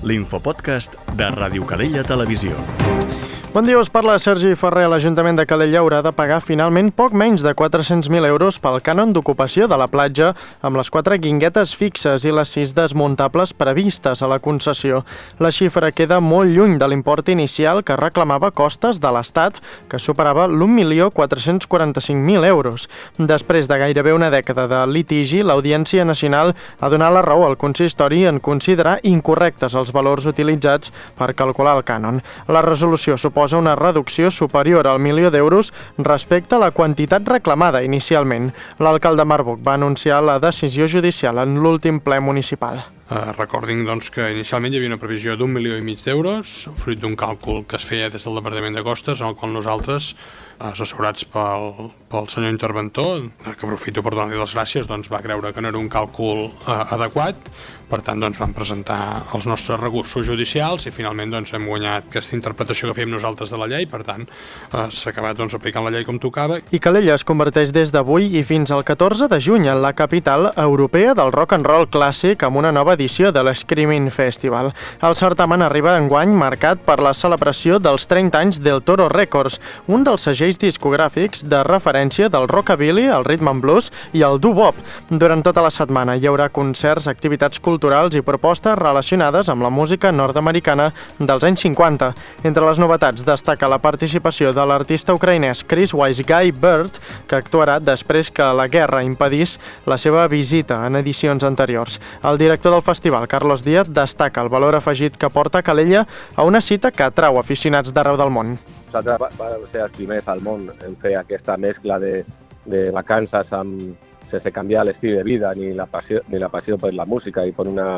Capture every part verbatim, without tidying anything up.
l'infopodcast de Ràdio Calella Televisió. Bon dia, us parla Sergi Ferrer. L'Ajuntament de Calella haurà de pagar finalment poc menys de quatre-cents mil euros pel cànon d'ocupació de la platja amb les quatre guinguetes fixes i les sis desmuntables previstes a la concessió. La xifra queda molt lluny de l'import inicial que reclamava Costes de l'Estat, que superava l'un milió quatre-cents quaranta-cinc mil euros. Després de gairebé una dècada de litigi, l'Audiència Nacional ha donat la raó al consistori en considerar incorrectes els valors utilitzats per calcular el cànon. La resolució suposa una reducció superior al milió d'euros respecte a la quantitat reclamada inicialment. L'alcalde Marbuc va anunciar la decisió judicial en l'últim ple municipal. Uh, recordin doncs, que inicialment hi havia una previsió d'un milió i mig d'euros, fruit d'un càlcul que es feia des del Departament de Costes, en el qual nosaltres, assessorats pel, pel senyor interventor, que aprofito per donar-li les gràcies, doncs va creure que no era un càlcul uh, adequat. Per tant, doncs, vam presentar els nostres recursos judicials i finalment doncs, hem guanyat aquesta interpretació que fèiem nosaltres de la llei. Per tant, uh, s'ha acabat doncs, aplicant la llei com tocava. I Calella es converteix des d'avui i fins al catorze de juny en la capital europea del rock and roll clàssic amb una nova edició de l'Screaming Festival. El certamen arriba enguany marcat per la celebració dels trenta anys del Toro Records, un dels segells discogràfics de referència del rockabilly, el rhythm and blues i el doo-wop. Durant tota la setmana hi haurà concerts, activitats culturals i propostes relacionades amb la música nord-americana dels anys cinquanta. Entre les novetats destaca la participació de l'artista ucraïnès Chris Wise Guy Bird, que actuarà després que la guerra impedís la seva visita en edicions anteriors. El director del festival, Carlos Díaz, destaca el valor afegit que porta Calella a una cita que atrau aficionats d'arreu del món. Nosaltres vam ser els primers al món en fer aquesta mescla de, de vacances amb, sense canviar l'estil de vida ni la passió, ni la passió per la música i per una,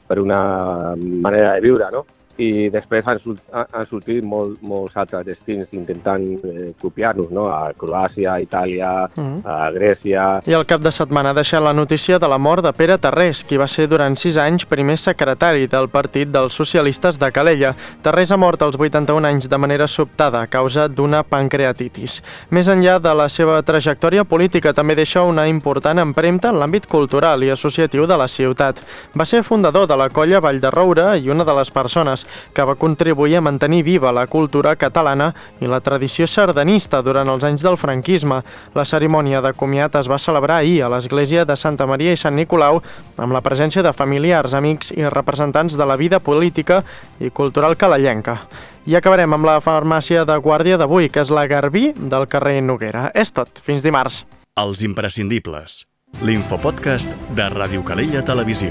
per una manera de viure, no? I després han, han sortit molt, molts altres destins intentant eh, copiar-nos, no? A Croàcia, a Itàlia, mm. a Grècia... I el cap de setmana ha deixat la notícia de la mort de Pere Tarrés, qui va ser durant sis anys primer secretari del Partit dels Socialistes de Calella. Tarrés ha mort als vuitanta-un anys de manera sobtada a causa d'una pancreatitis. Més enllà de la seva trajectòria política, també deixa una important empremta en l'àmbit cultural i associatiu de la ciutat. Va ser fundador de la colla Vall de Roure i una de les persones que va contribuir a mantenir viva la cultura catalana i la tradició sardanista durant els anys del franquisme. La cerimònia de comiat es va celebrar ahir a l'església de Santa Maria i Sant Nicolau amb la presència de familiars, amics i representants de la vida política i cultural calellenca. I acabarem amb la farmàcia de guàrdia d'avui, que és la Garbí del carrer Noguera. És tot. Fins dimarts. Els imprescindibles. L'infopodcast de Ràdio Calella Televisió.